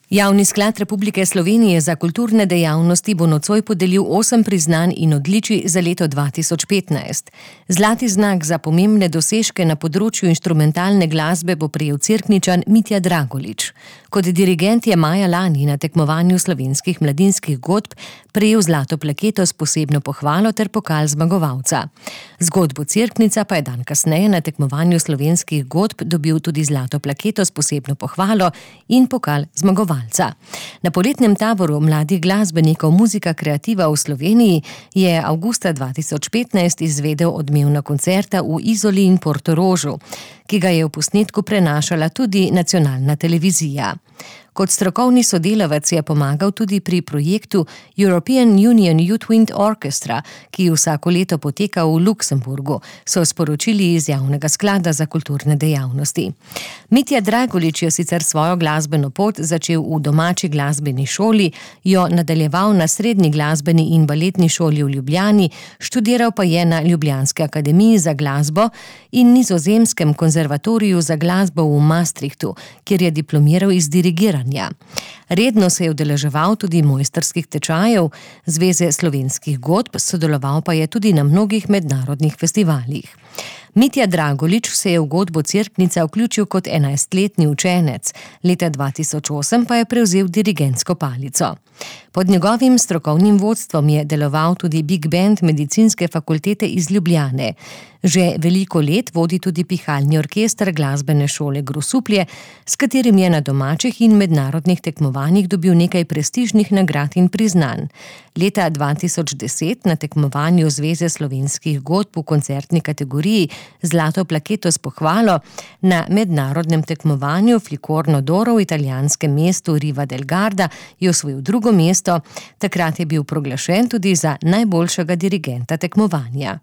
Javni sklad Republike Slovenije za kulturne dejavnosti bo nocoj podelil 8 priznanj in odličij za leto 2015. Zlati znak za pomembne dosežke na področju inštrumentalne glasbe bo prejel Cerkničan Mitja Dragolič. Kot dirigent je maja lani na tekmovanju slovenskih mladinskih godb prejel zlato plaketo s posebno pohvalo ter pokal zmagovalca. Zgodbo Cerknica pa je dan kasneje na tekmovanju slovenskih godb dobil tudi zlato plaketo s posebno pohvalo in pokal zmagovalca. Na poletnem taboru mladih glasbenikov Muzika kreativa v Sloveniji je avgusta 2015 izvedel odmevna koncerta v Izoli in Portorožu, ki ga je v posnetku prenašala tudi nacionalna televizija. Kot strokovni sodelavec je pomagal tudi pri projektu European Union Youth Wind Orchestra, ki vsako leto poteka v Luksemburgu, so sporočili iz Javnega sklada za kulturne dejavnosti. Mitja Dragolič je sicer svojo glasbeno pot začel v domači glasbeni šoli, jo nadaljeval na Srednji glasbeni in baletni šoli v Ljubljani, študiral pa je na Ljubljanski akademiji za glasbo in Nizozemskem konzervatoriju za glasbo v Maastrichtu, kjer je diplomiral iz dirigiranja. Redno se je udeleževal tudi mojstrskih tečajev Zveze slovenskih godb, sodeloval pa je tudi na mnogih mednarodnih festivalih. Mitja Dragolič se je v godbo Cerknica vključil kot 11-letni učenec, leta 2008 pa je prevzel dirigentsko palico. Pod njegovim strokovnim vodstvom je deloval tudi Big Band Medicinske fakultete iz Ljubljane. Že veliko let vodi tudi pihalni orkester glasbene šole Grosuplje, s katerim je na domačih in mednarodnih tekmovanjih dobil nekaj prestižnih nagrad in priznanj. Leta 2010 na tekmovanju Zveze slovenskih godb v koncertni kategoriji zlato plaketo s pohvalo, na mednarodnem tekmovanju Flicorno d'Oro v italijanskem mestu Riva del Garda je osvojil drugo mesto, takrat je bil proglašen tudi za najboljšega dirigenta tekmovanja.